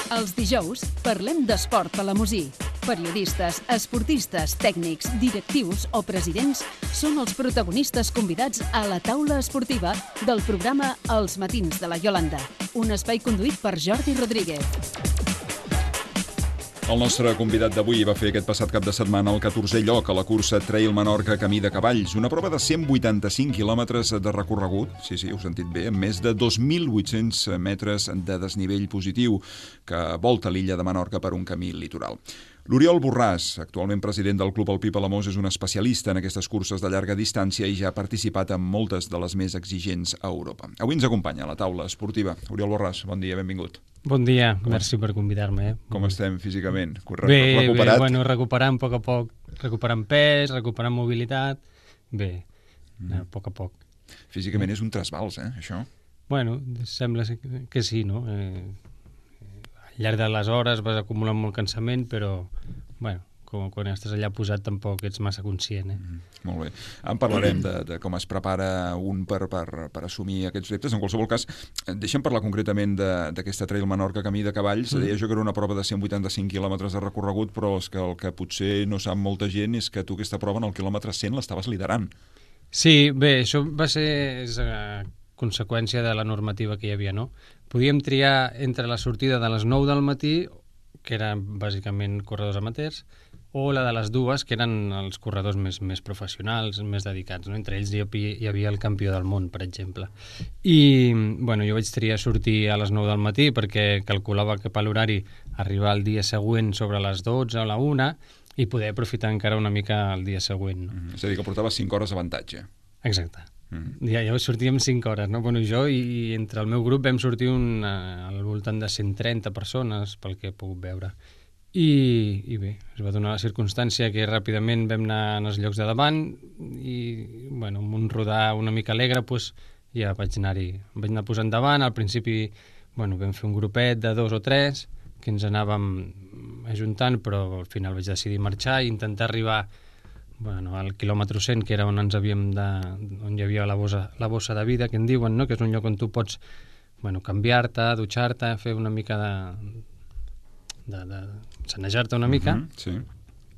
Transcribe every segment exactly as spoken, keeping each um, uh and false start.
Els dijous parlem d'esport palamosí. Periodistes, esportistes, tècnics, directius o presidents són els protagonistes convidats a la taula esportiva del programa Els Matins de la Iolanda, un espai conduït per Jordi Rodríguez. El nostre convidat d'avui va fer aquest passat cap de setmana el catorzè lloc a la cursa Trail Menorca Camí de Cavalls, una prova de cent vuitanta-cinc quilòmetres de recorregut, sí, sí, heu sentit bé, amb més de dos mil vuit-cents metres de desnivell positiu que volta l'illa de Menorca per un camí litoral. L'Oriol Borràs, actualment president del Club Alpí Palamós, és un especialista en aquestes curses de llarga distància i ja ha participat en moltes de les més exigents a Europa. Avui ens acompanya a la taula esportiva. Oriol Borràs, bon dia, benvingut. Bon dia, com merci per convidar-me. Eh? Com estem físicament? Bé, recuperat? Bé, bueno, recuperant a poc a poc, recuperant pes, recuperant mobilitat, bé, mm. a poc a poc. Físicament és un trasbals, eh, això? Bueno, sembla que sí, no? Eh, al llarg de les hores vas acumulant molt cansament, però, bueno, com, quan estàs allà posat tampoc ets massa conscient. Eh? Mm, molt bé. En parlarem de, de com es prepara un per, per, per assumir aquests reptes. En qualsevol cas, deixa'm parlar concretament d'aquesta Trail Menorca Camí de Cavalls. Mm. Deia jo que era una prova de cent vuitanta-cinc quilòmetres de recorregut, però és que el que potser no sap molta gent és que tu aquesta prova en el quilòmetre cent l'estaves liderant. Sí, bé, això va ser és, uh, conseqüència de la normativa que hi havia, no? Podíem triar entre la sortida de les nou del matí, que eren bàsicament corredors amateurs, o la de les dues, que eren els corredors més, més professionals, més dedicats. No? Entre ells hi havia, hi havia el campió del món, per exemple. I bueno, jo vaig triar sortir a les nou del matí perquè calculava que per l'horari arribar el dia següent sobre les dotze o la una i poder aprofitar encara una mica el dia següent. No? Mm, és a dir, que portava cinc hores d'avantatge. Exacte. Mm. Ja, ja sortíem cinc hores, no? Bueno, jo i, i entre el meu grup vam sortir un, uh, al voltant de cent trenta persones, pel que he pogut veure. I, i bé, es va donar la circumstància que ràpidament vam anar als llocs de davant i, bueno, amb un rodar una mica alegre, doncs, ja vaig anar-hi, vaig anar posant davant. Al principi, bueno, vam fer un grupet de dos o tres que ens anàvem ajuntant, però al final vaig decidir marxar i intentar arribar bueno, al quilòmetre cent, que era on ens havíem de, on hi havia la bossa, la bossa de vida, que en diuen, no? Que és un lloc on tu pots, bueno, canviar-te, dutxar-te, fer una mica de, de, de sanejar-te una mica. Uh-huh, sí.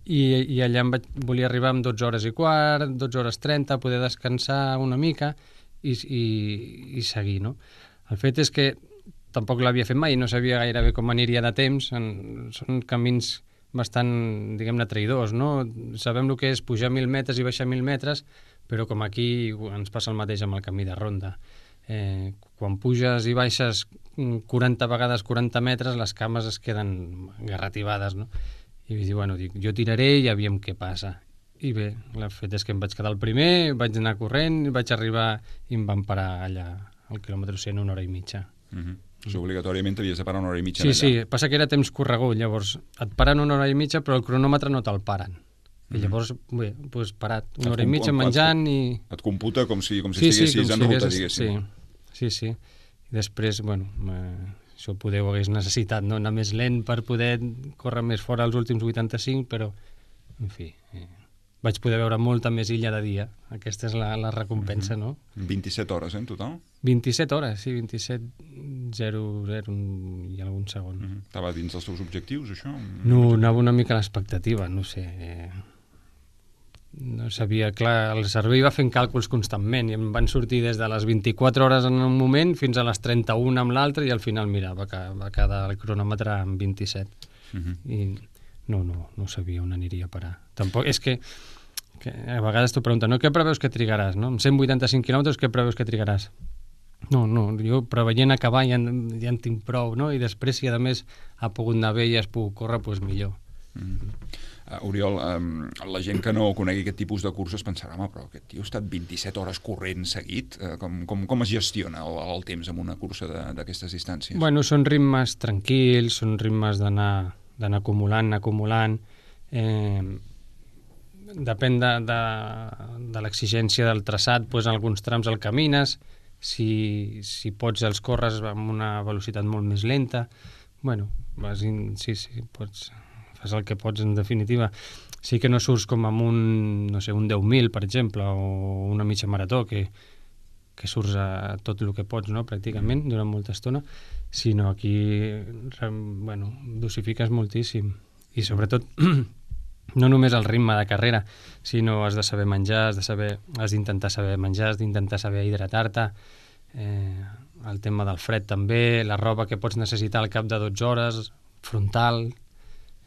I, i allà em vaig, volia arribar amb dotze hores i quart, dotze hores trenta, poder descansar una mica i, i, i seguir, no? El fet és que tampoc l'havia fet mai, no sabia gairebé com aniria de temps, en, són camins bastant, diguem-ne, traïdors, no? Sabem el que és pujar mil metres i baixar mil metres, però com aquí ens passa el mateix amb el camí de ronda. Eh, quan puges i baixes quaranta vegades quaranta metres, les cames es queden garrativades, no? I vaig dir, bueno, dic, jo tiraré i aviam què passa. I bé, el fet és que em vaig quedar el primer, vaig anar corrent, vaig arribar i em van parar allà al quilòmetre cent una hora i mitja. Uh-huh. Això obligatòriament t'havies de parar una hora i mitja sí, allà. Sí, sí, passa que era temps corregut, llavors et paren una hora i mitja però el cronòmetre no te'l paren. I llavors, bé, doncs parat, una et hora i mitja menjant i... Et computa com si, com si sí, estiguessis sí, com en si ruta, hagués... diguéssim. Sí, sí, sí. I després, bueno, eh, això poder ho hagués necessitat, no? Anar més lent per poder córrer més fora els últims vuitanta-cinc, però, en fi, eh, vaig poder veure molta més illa de dia. Aquesta és la, la recompensa, no? vint-i-set hores, eh, en total? vint-i-set hores, sí, vint-i-set zero zero i algun segon. Uh-huh. Estava dins dels teus objectius, això? No, anava una mica a l'expectativa, no sé. Eh, no sabia, clar, el cervell va fent càlculs constantment i em van sortir des de les vint-i-quatre hores en un moment fins a les trenta-una amb l'altre i al final, mira, va, va quedar el cronòmetre en vint-i-set. Uh-huh. I no, no, no sabia on aniria a parar. Tampoc, és que, que a vegades t'ho pregunten, no, què preveus que trigaràs, no? Amb cent vuitanta-cinc quilòmetres, què preveus que trigaràs? No, no, jo preveient acabar ja, ja en tinc prou, no? I després, si a més ha pogut anar bé i has pogut córrer, doncs millor. Mm-hmm. Uh, Oriol, um, la gent que no conegui aquest tipus de curses pensarà, home, però aquest tio ha estat vint-i-set hores corrent seguit. Uh, com, com, com es gestiona el, el temps en una cursa d'aquestes distàncies? Bueno, són ritmes tranquils, són ritmes d'anar d'anar acumulant, acumulant. Eh, depèn de, de, de l'exigència del traçat, doncs en alguns trams el camines, si, si pots els corres amb una velocitat molt més lenta. Bueno, vas in, sí, sí, pots, fas el que pots en definitiva. Sí que no surts com amb un, no sé, un deu mil, per exemple, o una mitja marató, que que surts a tot el que pots, no?, pràcticament, durant molta estona, sinó aquí, bueno, dosifiques moltíssim. I sobretot, no només el ritme de carrera, sinó has de saber menjar, has de saber, has d'intentar saber menjar, has d'intentar saber hidratar-te, eh, el tema del fred també, la roba que pots necessitar al cap de dotze hores, frontal,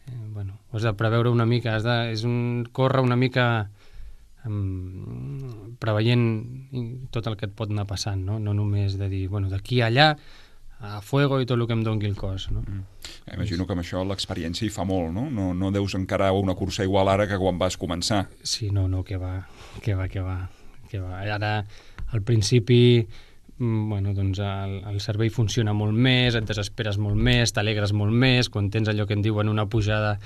eh, bueno, ho has de preveure una mica, has de, és un, córrer una mica um, preveient tot el que et pot anar passant, no? No només de dir, bueno, d'aquí a allà, a fuego i tot el que em doni el cos, no? Mm. Imagino que amb això l'experiència hi fa molt, no? No, no deus encarar una cursa igual ara que quan vas començar. Sí, no, no, que va, que va, que va, que va. Ara, al principi, bueno, doncs el, el cervell funciona molt més, et desesperes molt més, t'alegres molt més, quan tens allò que en diuen una pujada,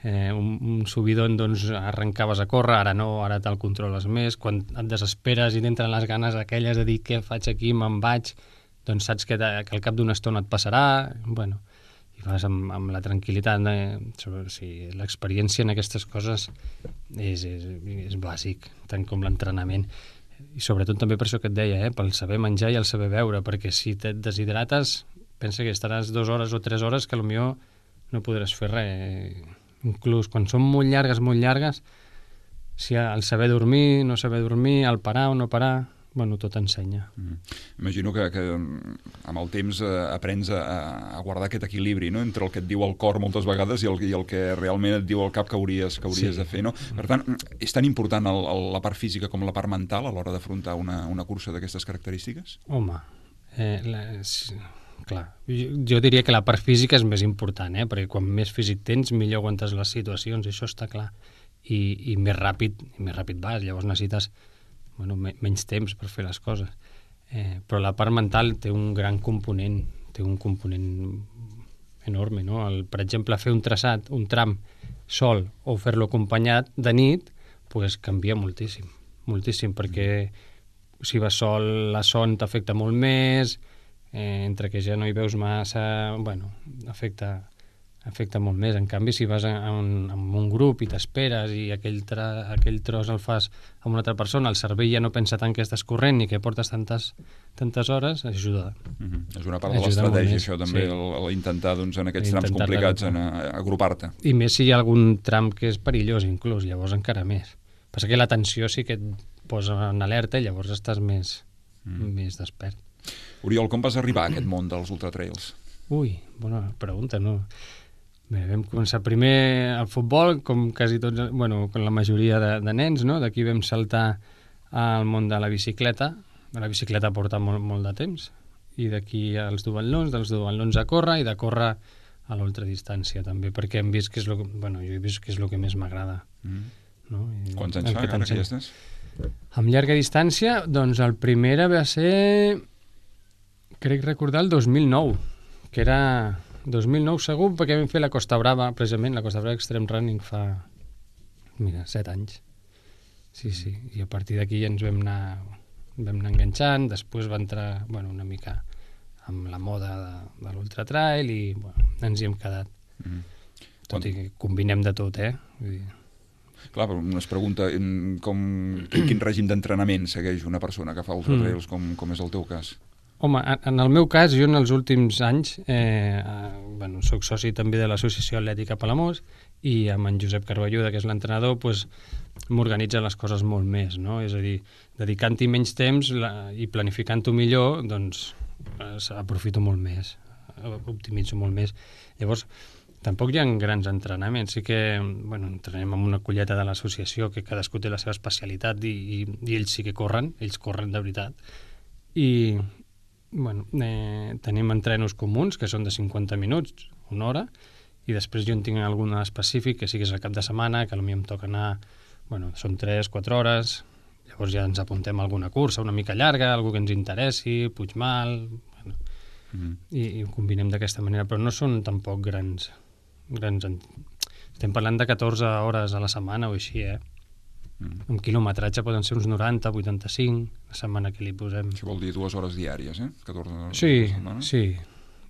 eh, un, un subidon, doncs arrencaves a córrer, ara no, ara te'l controles més, quan et desesperes i t'entren les ganes aquelles de dir què faig aquí, me'n vaig, doncs saps que, que al cap d'una estona et passarà, bueno, i vas amb, amb la tranquil·litat, eh? Sobre, sí, l'experiència en aquestes coses és, és, és bàsic, tant com l'entrenament. I sobretot també per això que et deia, eh? Pel saber menjar i el saber beure, perquè si et deshidrates, pensa que estaràs dues hores o tres hores que potser no podràs fer res. Inclús quan són molt llargues, molt llargues, si el saber dormir, no saber dormir, el parar o no parar, bueno, tot ensenya. Mm. Imagino que, que amb el temps eh, aprens a, a guardar aquest equilibri, no?, entre el que et diu el cor moltes vegades i el, i el que realment et diu el cap que hauries, que hauries sí. de fer, no? Per tant, és tan important el, el, la part física com la part mental a l'hora d'afrontar una, una cursa d'aquestes característiques? Home, eh, la, sí, clar, jo, jo diria que la part física és més important, eh? Perquè quan més físic tens, millor aguantes les situacions, això està clar. I, i més ràpid, i més ràpid vas, llavors necessites bueno, menys temps per fer les coses. Eh, però la part mental té un gran component, té un component enorme, no? El, per exemple, fer un traçat, un tram sol o fer-lo acompanyat de nit, pues canvia moltíssim, moltíssim, perquè si vas sol la son t'afecta molt més, eh, entre que ja no hi veus massa, bueno, afecta... afecta molt més. En canvi, si vas a un, a un grup i t'esperes i aquell, tra, aquell tros el fas amb una altra persona, el cervell ja no pensa tant que estàs corrent ni que portes tantes, tantes hores, ajuda. Mm-hmm. És una part de l'estratègia, això també, sí. el, el intentar doncs, en aquests trams complicats en, a, agrupar-te. I més si hi ha algun tram que és perillós, inclús, llavors encara més. Passa que la tensió sí que et posa en alerta i llavors estàs més, mm. més despert. Oriol, com vas arribar a aquest món dels ultratrails? Ui, bona pregunta, no? Bé, vam començar primer al futbol, com quasi tots, bueno, com la majoria de, de nens, no? D'aquí vam saltar al món de la bicicleta. La bicicleta porta molt, molt de temps. I d'aquí als duatlons, dels duatlons a córrer i de córrer a l'ultradistància també, perquè hem vist que és lo que, bueno, jo he vist que és el que més m'agrada. Mm. No? I quants anys fa, que ara que hi estàs? Amb llarga distància, doncs el primer va ser, crec recordar, el dos mil nou, que era... dos mil nou segur, perquè vam fer la Costa Brava, precisament, la Costa Brava Extreme Running fa, mira, set anys. Sí, sí, i a partir d'aquí ja ens vam anar, vam anar enganxant, després va entrar, bueno, una mica amb la moda de, de l'ultratrail i, bueno, ens hi hem quedat. Mm. Tot Quan... i que combinem de tot, eh? Vull dir... Clar, però es pregunta com, quin règim d'entrenament segueix una persona que fa ultratrails, mm. com, com és el teu cas? Home, en el meu cas, jo en els últims anys, eh, eh, bueno, soc soci també de l'Associació Atlètica Palamós i amb en Josep Carballuda, que és l'entrenador, pues, m'organitza les coses molt més, no? És a dir, dedicant-hi menys temps la, i planificant-ho millor, doncs eh, aprofito molt més, optimitzo molt més. Llavors, tampoc hi ha grans entrenaments, sí que, bueno, entrenem amb una colleta de l'associació que cadascú té la seva especialitat i, i, i ells sí que corren, ells corren de veritat. I... Bueno, eh, tenim entrenos comuns que són de cinquanta minuts, una hora, i després jo en tinc algun específic que sí que és el cap de setmana, que potser em toca anar, bueno, són tres, quatre hores, llavors ja ens apuntem a alguna cursa una mica llarga, algú que ens interessi, Puigmal, bueno, mm. i, i ho combinem d'aquesta manera, però no són tampoc grans, grans... Estem parlant de catorze hores a la setmana o així, eh? Mm. Un quilometratge poden ser uns noranta, vuitanta-cinc, la setmana que li posem. Això vol dir dues hores diàries, eh? catorze hores sí, sí,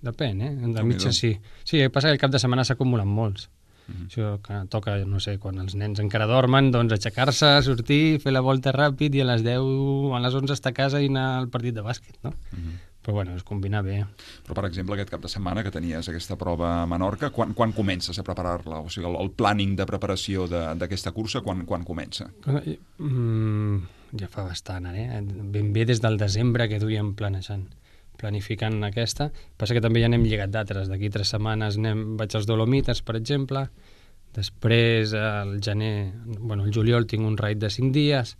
depèn, eh? De mitja sí. Sí, el que passa que el cap de setmana s'acumulen molts. Mm-hmm. Això que toca, no sé, quan els nens encara dormen, doncs aixecar-se, sortir, fer la volta ràpid i a les deu, a les onze estar a casa i anar al partit de bàsquet, no? Mm-hmm. Però bueno, es combina bé. Però, per exemple, aquest cap de setmana que tenies aquesta prova a Menorca, quan, quan comences a preparar-la? O sigui, el, el planning de preparació d'aquesta cursa, quan, quan comença? Mm, ja fa bastant, eh? Ben bé des del desembre que duíem planejant, planificant aquesta. Passa que també ja n'hem lligat d'altres. D'aquí tres setmanes anem, vaig als Dolomites, per exemple. Després, al gener, bueno, al juliol tinc un raid de cinc dies.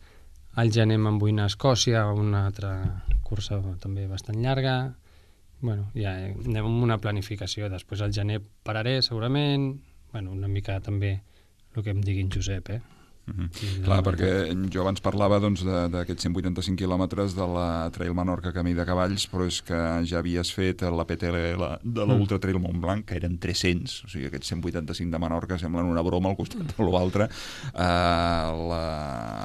Al gener me'n vull anar a Escòcia, una altra cursa també bastant llarga. Bueno, ja anem amb una planificació. Després al gener pararé, segurament. Bueno, una mica també el que em diguin Josep, eh? Mm-hmm. Clar, perquè jo abans parlava doncs, d'aquests cent vuitanta-cinc quilòmetres de la Trail Menorca Camí de Cavalls, però és que ja havies fet la P T L de l'Ultra Trail Montblanc, que eren tres-cents, o sigui, aquests cent vuitanta-cinc de Menorca semblen una broma al costat de l'altre. Uh, la,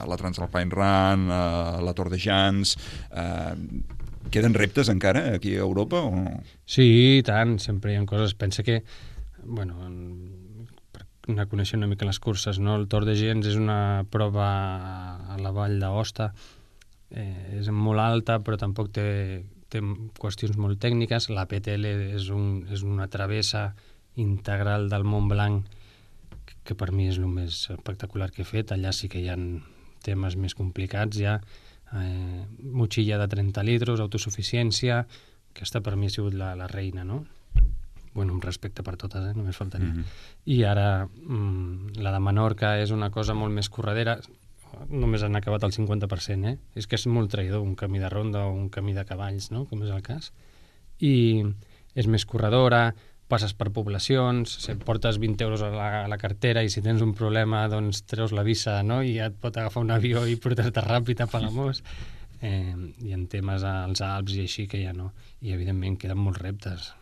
la Transalpine Run, uh, la Tour de Jans... Uh, queden reptes encara aquí a Europa o no? Sí, tant, sempre hi ha coses. Pensa que, bueno, anar coneixent una mica les curses, no? El Tour de Gens és una prova a la vall d'Aosta, eh, és molt alta però tampoc té, té qüestions molt tècniques. La P T L és, un, és una travessa integral del Mont Blanc que, que per mi és el més espectacular que he fet. Allà sí que hi ha temes més complicats ja, eh, motxilla de trenta litres, autosuficiència. Aquesta per mi ha sigut la, la reina, no? Bueno, un respecte per totes, eh? Només faltaria. Mm-hmm. I ara mm, la de Menorca és una cosa molt més corredera. Només han acabat el cinquanta per cent, eh? És que és molt traïdor un camí de ronda o un camí de cavalls, no? Com és el cas. I és més corredora, passes per poblacions, portes vint euros a la, a la cartera i si tens un problema doncs treus la visa, no? I ja et pot agafar un avió i portar-te ràpid a Palamós. Eh, I en temes als Alps i així que ja no. I evidentment queden molts reptes.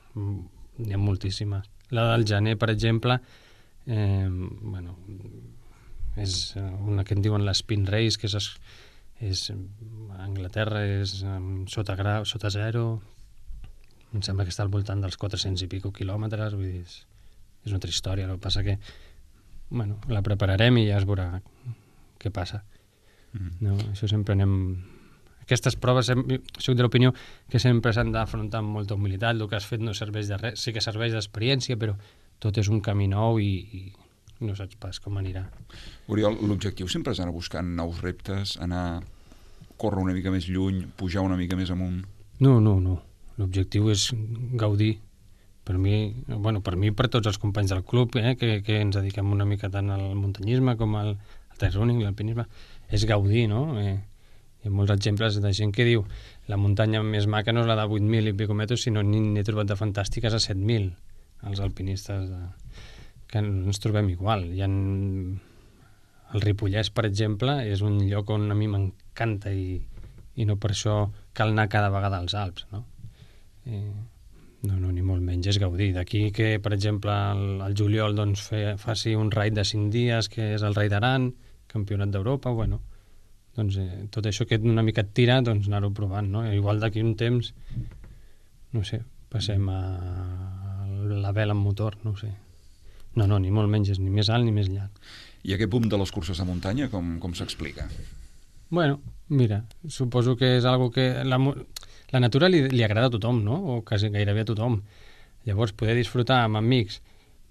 N'hi ha moltíssimes. La del gener, per exemple, eh, bueno, és una que en diuen l'Spin Race, que és, és a Anglaterra, és um, sota, grau, sota zero, em sembla que està al voltant dels quatre-cents i pico quilòmetres, vull dir, és, és una altra història. El que passa que, bueno, la prepararem i ja es veurà què passa. Mm. No, això sempre anem... Aquestes proves, soc de l'opinió que sempre s'han d'afrontar amb molta humilitat. El que has fet no serveix de res, sí que serveix d'experiència, però tot és un camí nou i, i no saps pas com anirà. Oriol, l'objectiu sempre és anar buscant nous reptes, anar a córrer una mica més lluny, pujar una mica més amunt? No, no, no. L'objectiu és gaudir. Per mi, bueno, per mi i per tots els companys del club, eh, que, que ens dediquem una mica tant al muntanyisme com al, al trail running, l'alpinisme, és gaudir, no? Eh, Hi ha molts exemples de gent que diu la muntanya més maca no és la de vuit mil i pico metres, sinó n'he trobat de fantàstiques a set mil, els alpinistes de... que ens trobem igual. Hi ha... El Ripollès, per exemple, és un lloc on a mi m'encanta i, i no per això cal anar cada vegada als Alps, no? Eh, no, no, ni molt menys, és gaudir. D'aquí que, per exemple, el, el juliol doncs, fe, faci un raid de cinc dies, que és el Raid d'Aran, campionat d'Europa, bueno... doncs eh, tot això que una mica et tira, doncs anar-ho provant, no? Igual d'aquí un temps, no sé, passem a la vela amb motor, no ho sé. No, no, ni molt menys, és ni més alt ni més llarg. I aquest boom de les curses de muntanya, com, com s'explica? Bueno, mira, suposo que és algo que... La, la natura li, li agrada a tothom, no? O quasi gairebé a tothom. Llavors, poder disfrutar amb amics,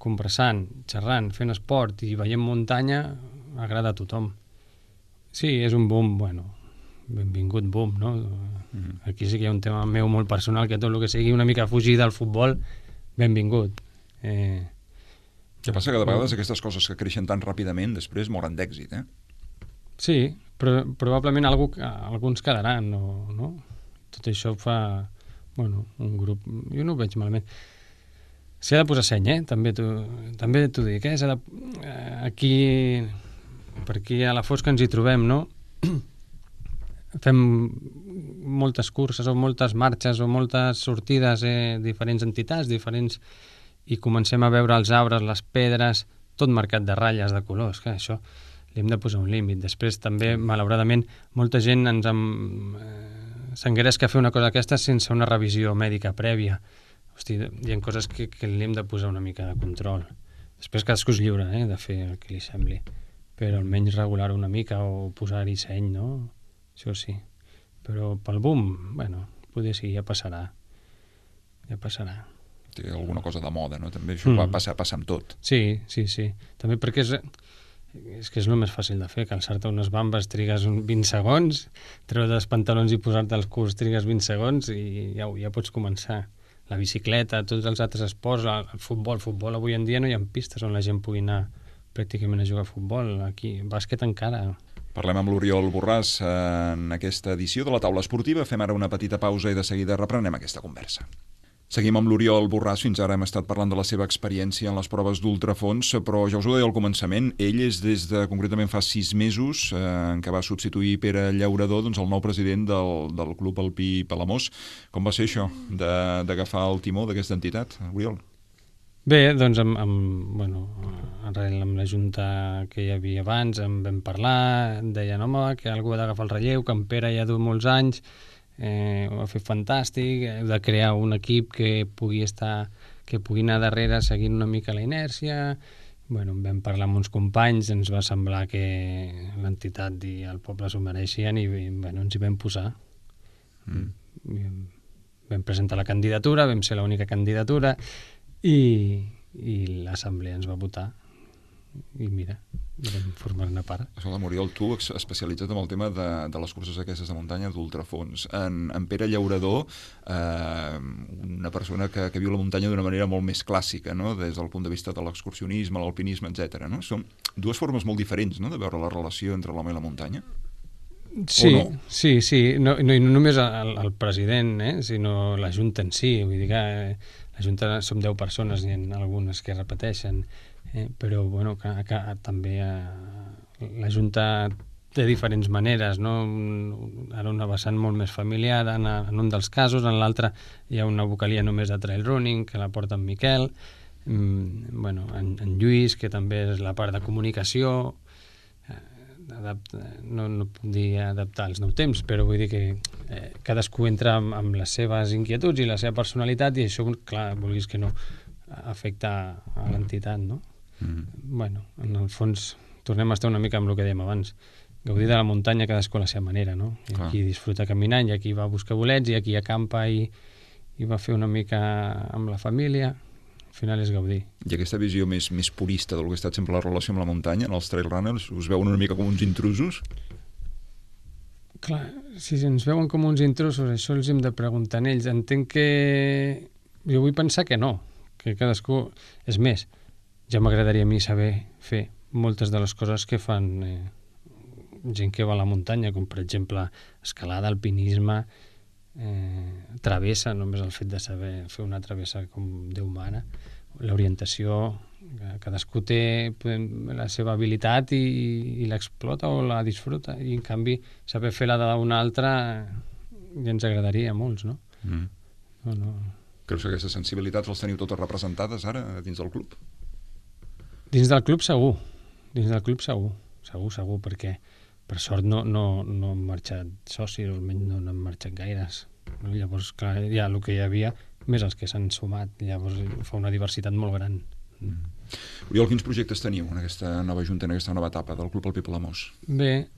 conversant, xerrant, fent esport i veient muntanya, agrada a tothom. Sí, és un boom, bueno, benvingut boom, no? Mm-hmm. Aquí sí que hi ha un tema meu molt personal, que tot el que sigui una mica fugir del futbol, benvingut. Eh... Què passa? Que de vegades aquestes coses que creixen tan ràpidament després moren d'èxit, eh? Sí, però probablement algú, alguns quedaran, no, no? Tot això fa, bueno, un grup... Jo no ho veig malament. S'ha de posar seny, eh? També t'ho també t'ho dic, eh? S'ha de... Aquí... per aquí a la fosca ens hi trobem, no? Fem moltes curses o moltes marxes o moltes sortides, eh, diferents entitats, diferents... i comencem a veure els arbres, les pedres, tot marcat de ratlles, de colors, que això li hem de posar un límit. Després també, malauradament, molta gent ens em... eh, s'engresca a fer una cosa d'aquesta sense una revisió mèdica prèvia. Hosti, hi ha coses que, que li hem de posar una mica de control. Després cadascú és lliure, eh, de fer el que li sembli, però almenys regular una mica o posar-hi seny, no? Això sí. Però pel boom, bueno, potser sí, ja passarà. Ja passarà. Té alguna cosa de moda, no? També això mm. va passar, passar amb tot. Sí, sí, sí. També perquè és... És que és el més fàcil de fer, calçar-te unes bambes trigues vint segons, treure els pantalons i posar-te els curts trigues vint segons i ja, ja pots començar. La bicicleta, tots els altres esports, el futbol, el futbol avui en dia no hi ha pistes on la gent pugui anar pràcticament a jugar a futbol. Aquí, bàsquet encara. Parlem amb l'Oriol Borràs en aquesta edició de la Taula Esportiva. Fem ara una petita pausa i de seguida reprenem aquesta conversa. Seguim amb l'Oriol Borràs. Fins ara hem estat parlant de la seva experiència en les proves d'ultrafons, però ja us ho deia al començament, ell és des de, concretament fa sis mesos, eh, en què va substituir Pere Llaurador, doncs el nou president del, del Club Alpí Palamós. Com va ser això, d'agafar el timó d'aquesta entitat, Oriol? Bé, doncs amb, amb, bueno, arrel amb la junta que hi havia abans, en vam parlar, deien, home, que algú ha d'agafar el relleu, que en Pere ja du molts anys, Eh, ho ha fet fantàstic, heu de crear un equip que pugui estar, que pugui anar darrere seguint una mica la inèrcia. Bueno, vam parlar amb uns companys, ens va semblar que l'entitat i el poble s'ho mereixien i bueno, ens hi vam posar. Mm. Vam presentar la candidatura, vam ser l'única candidatura i, i l'assemblea ens va votar. I mira, vam formar-ne part. Escolta, Oriol, tu especialitzat en el tema de, de les curses aquestes de muntanya d'ultrafons. En, en Pere Llaurador, eh, una persona que, que viu la muntanya d'una manera molt més clàssica, no? Des del punt de vista de l'excursionisme, l'alpinisme, etcètera. No? Són dues formes molt diferents, no?, de veure la relació entre l'home i la muntanya. Sí, no? sí, sí. No, no, no només el, el president, eh, sinó la Junta en si. Vull dir que eh, la Junta som deu persones, hi ha algunes que repeteixen. Eh, però bueno, que, que també eh, la Junta té diferents maneres, no? Ara una vessant molt més familiar en, en un dels casos, en l'altre hi ha una vocalia només de trail running que la porta en Miquel, mm, bueno, en, en Lluís, que també és la part de comunicació, eh, adapta, no, no puc dir adaptar als nous temps, però vull dir que eh, cadascú entra amb, amb les seves inquietuds i la seva personalitat i això, clar, vulguis que no, afecta a l'entitat, no? Mm. Bueno, en el fons tornem a estar una mica amb el que dèiem abans, gaudir de la muntanya cadascú a la seva manera, no? Hi ha qui disfruta caminant, hi ha qui va a buscar bolets, hi ha qui acampa i, i va fer una mica amb la família. Al final és gaudir. I aquesta visió més, més purista del que ha estat sempre la relació amb la muntanya, en els trail runners, us veuen una mica com uns intrusos? Clar, si ens veuen com uns intrusos, això els hem de preguntar a ells. Entenc que... Jo vull pensar que no, que cadascú... És més, ja m'agradaria a mi saber fer moltes de les coses que fan eh, gent que va a la muntanya, com per exemple escalada, alpinisme, eh, travessa, només el fet de saber fer una travessa com Déu mana, l'orientació, cadascú té podem, la seva habilitat i, i l'explota o la disfruta, i en canvi saber fer la d'una altra ja ens agradaria a molts, no? Mm. No, no. Creus que aquestes sensibilitats les teniu totes representades ara dins del club? Dins del club segur, dins del club segur, segur, segur, perquè per sort no, no, no han marxat socis, o almenys no n'han marxat gaires. No? Llavors, clar, ja el que hi havia, més els que s'han sumat, llavors fa una diversitat molt gran. Mm. Oriol, quins projectes teniu en aquesta nova junta, en aquesta nova etapa del Club Alpí Palamós? Bé,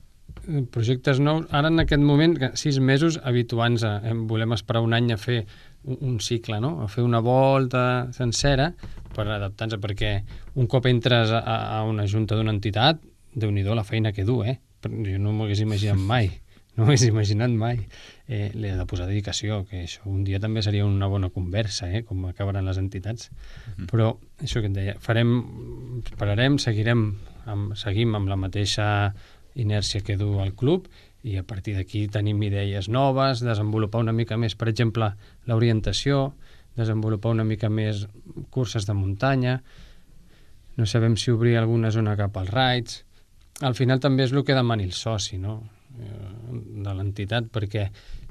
projectes nous, ara en aquest moment, sis mesos, habituants a, eh, volem esperar un any a fer un, un cicle, no? A fer una volta sencera per adaptar-nos, perquè un cop entres a, a una junta d'una entitat, Déu-n'hi-do la feina que du, eh? Jo no m'ho hagués imaginat mai, no m'ho hagués imaginat mai. Eh, li he de posar dedicació, que això un dia també seria una bona conversa, eh? Com acabaran les entitats. Mm-hmm. Però això que et deia, farem, esperarem, seguirem, amb, seguim amb la mateixa inèrcia que du el club i a partir d'aquí tenim idees noves, desenvolupar una mica més, per exemple, l'orientació, desenvolupar una mica més curses de muntanya, no sabem si obrir alguna zona cap als raids. Al final també és el que demani el soci, no?, de l'entitat, perquè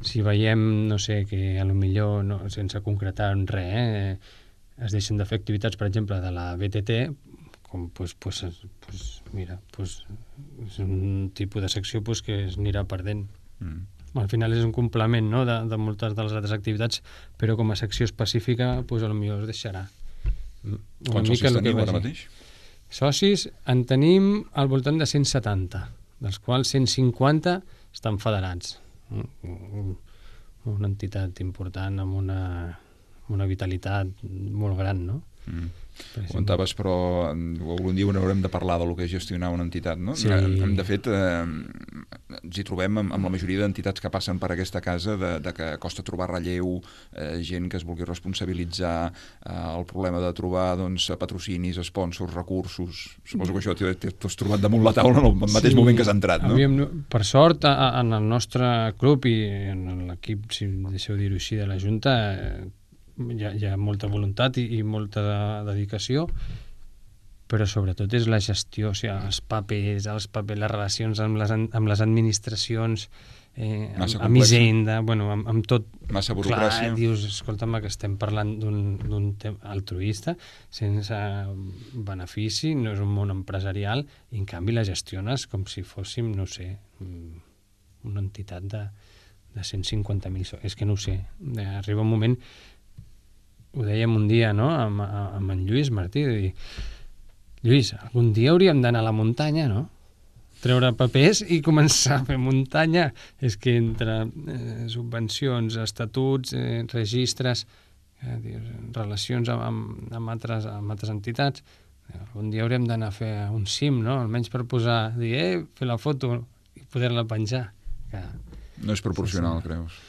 si veiem, no sé, que a lo millor, no, sense concretar en res, eh, es deixen de fer activitats, per exemple, de la B T T, com, pues, pues, pues, mira, pues, és un tipus de secció pues, que es anirà perdent. Mm. Al final és un complement, no?, de, de moltes de les altres activitats, però com a secció específica, pues, a lo millor es deixarà. Quants socis teniu ara mateix? Socis en tenim al voltant de cent setanta, dels quals cent cinquanta estan federats. Una entitat important amb una, amb una vitalitat molt gran, no? Mm. Comentaves, però algun dia haurem de parlar del que és gestionar una entitat, no? Sí. De fet, eh, ens hi trobem amb, amb la majoria d'entitats que passen per aquesta casa de, de que costa trobar relleu, eh, gent que es vulgui responsabilitzar, eh, el problema de trobar doncs, patrocinis, sponsors, recursos. Suposo que això t'ho has trobat damunt la taula en el mateix sí, moment que has entrat, no? Havíem, per sort, a, en el nostre club i en l'equip, si deixeu dir-ho així, de la Junta, eh, Hi ha, hi ha molta voluntat i, i molta dedicació, però sobretot és la gestió, o sigui, els papers, els papers, les relacions amb les, amb les administracions, eh, amb, amb Hisenda, bueno, amb, amb tot. Massa burocràcia. Clar, dius, escolta'm, que estem parlant d'un tema altruista, sense benefici, no és un món empresarial, i en canvi la gestiones com si fóssim, no sé, una entitat de, de cent cinquanta mil. És que no ho sé, arriba un moment... Ho dèiem un dia, no?, amb, amb en Lluís Martí, de dir, Lluís, algun dia hauríem d'anar a la muntanya, no? Treure papers i començar a fer muntanya. És que entre eh, subvencions, estatuts, eh, registres, eh, dius, relacions amb, amb, amb, altres, amb altres entitats, algun dia hauríem d'anar a fer un cim, no?, almenys per posar, dir, eh, fer la foto i poder-la penjar. Que... No és proporcional, sí, sí. Creus?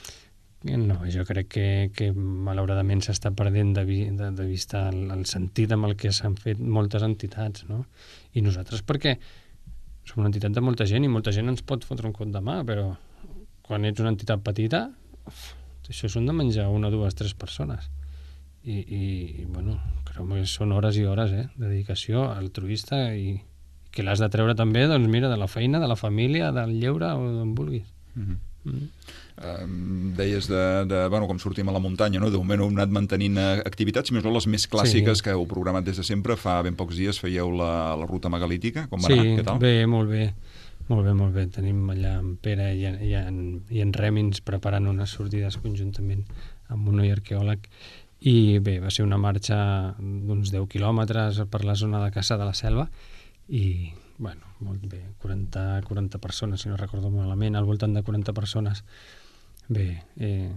No, jo crec que, que malauradament s'està perdent de, vi, de, de vista el, el sentit amb el que s'han fet moltes entitats, no? I nosaltres perquè som una entitat de molta gent i molta gent ens pot fotre un cop de mà, però quan ets una entitat petita, uf, això són de menjar una, dues, tres persones. I, i, i bueno, crec que són hores i hores, eh, de dedicació altruista i que l'has de treure també, doncs mira, de la feina, de la família, del lleure o d'on vulguis. Mm-hmm. Mm. Uh, deies de, de, bueno, com sortim a la muntanya, no? De moment heu anat mantenint activitats, si més no les més clàssiques, sí, que heu programat des de sempre. Fa ben pocs dies fèieu la, la ruta megalítica, com va sí, anar? Què tal? Sí, bé, molt bé. Molt bé, molt bé. Tenim allà en Pere i en, i en, i en Rèmins preparant unes sortides conjuntament amb un noi arqueòleg i bé, va ser una marxa d'uns deu quilòmetres per la zona de Caçà de la Selva i bueno, molt bé, quaranta, quaranta persones, si no recordo malament, al voltant de quaranta persones. Bé, eh,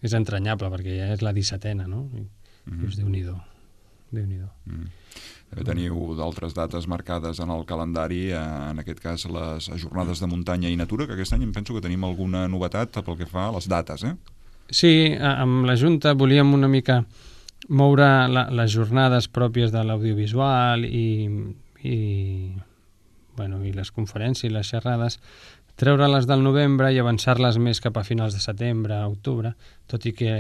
és entranyable, perquè ja és la dissetena, no? I mm-hmm. dius, Déu-n'hi-do, Déu-n'hi-do. Mm. També teniu d'altres dates marcades en el calendari, en aquest cas les jornades de muntanya i natura, que aquest any em penso que tenim alguna novetat pel que fa a les dates, eh? Sí, amb la Junta volíem una mica moure la, les jornades pròpies de l'audiovisual i... i, bueno, i les conferències i les xerrades, treure-les del novembre i avançar-les més cap a finals de setembre, octubre, tot i que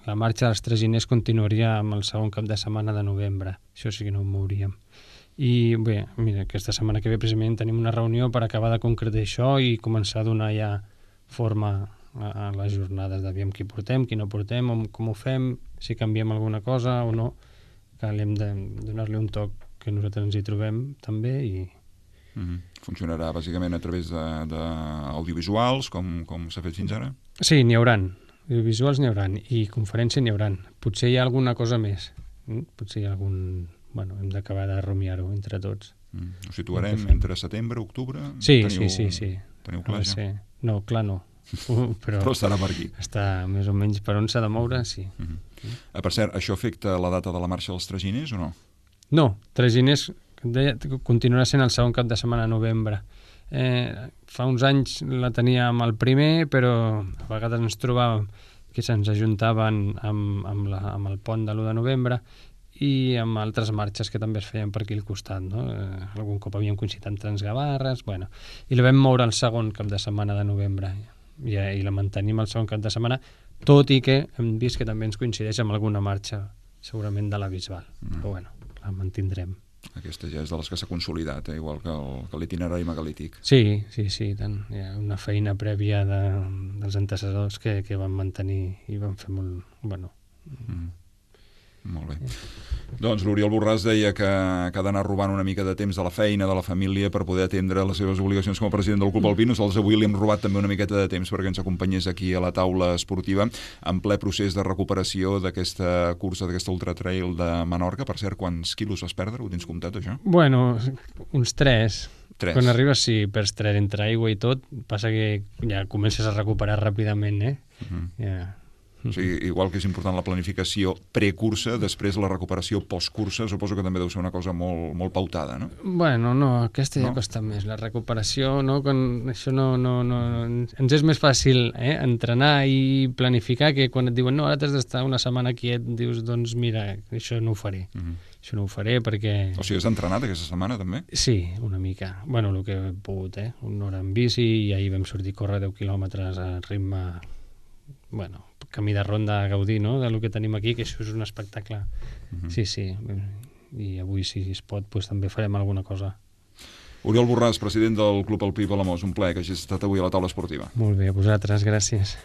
la marxa dels traginers continuaria amb el segon cap de setmana de novembre. Això sí que no ho mouríem. I bé, mira, aquesta setmana que ve precisament tenim una reunió per acabar de concretar això i començar a donar ja forma a, a les jornades d'aviam qui portem, qui no portem, com ho fem, si canviem alguna cosa o no, que hem de donar-li un toc que nosaltres ens hi trobem també i... Mm-hmm. Funcionarà bàsicament a través d'audiovisuals, com, com s'ha fet fins ara? Sí, n'hi hauran. Audiovisuals n'hi hauran i conferència n'hi hauran. Potser hi ha alguna cosa més. Mm? Potser hi ha algun... Bueno, hem d'acabar de rumiar-ho entre tots. Mm. Ho situarem entre setembre i octubre? Sí, teniu, sí, sí, sí. Teniu clar ja? No, clar no. Uh, però, però estarà per aquí. Està més o menys per on s'ha de moure, sí. Mm-hmm. eh, per cert, això afecta la data de la marxa dels traginers o no? No, traginers deia, continuarà sent el segon cap de setmana de novembre. Eh, fa uns anys la teníem el primer, però a vegades ens trobàvem que se'ns ajuntaven amb, amb, la, amb el pont de l'u de novembre i amb altres marxes que també es feien per aquí al costat, no? Eh, algun cop havíem coincidit amb Transgavarres, bueno, i la vam moure el segon cap de setmana de novembre i, i la mantenim el segon cap de setmana, tot i que hem vist que també ens coincideix amb alguna marxa segurament de la Bisbal, mm. però bueno, la mantindrem. Aquesta ja és de les que s'ha consolidat, eh? Igual que l'itinerari megalític. Sí, sí, sí, tant. Hi ha una feina prèvia de, dels antecessors que, que van mantenir i van fer molt... Bueno... Mm. Molt bé. Doncs l'Oriol Borràs deia que, que ha d'anar robant una mica de temps de la feina, de la família, per poder atendre les seves obligacions com a president del Club Alpí. Nosaltres avui li hem robat també una miqueta de temps perquè ens acompanyés aquí a la taula esportiva en ple procés de recuperació d'aquesta cursa, d'aquesta ultratrail de Menorca. Per cert, quants quilos vas perdre? Ho tens comptat, això? Bueno, uns tres. Tres. Quan arribes, sí, perds tres entre aigua i tot. Passa que ja comences a recuperar ràpidament, eh? Uh-huh. Ja... O sigui, igual que és important la planificació precursa, després la recuperació postcursa, suposo que també deu ser una cosa molt, molt pautada, no? Bueno, no, aquesta ja no? costa més. La recuperació, no? Quan això no, no, no... Ens és més fàcil eh? entrenar i planificar que quan et diuen no, ara t'has d'estar una setmana quiet, dius, doncs mira, això no ho faré. Uh-huh. Això no ho faré perquè... O sigui, has entrenat aquesta setmana, també? Sí, una mica. Bueno, el que he pogut, eh? Una hora en bici i ahir vam sortir a córrer deu quilòmetres a ritme... Bueno, camí de ronda a gaudir, no?, del que tenim aquí, que això és un espectacle. Uh-huh. Sí, sí. I avui, si es pot, pues, també farem alguna cosa. Oriol Borràs, president del Club Alpí Palamós, un plaer que hagis estat avui a la taula esportiva. Molt bé, a vosaltres, gràcies.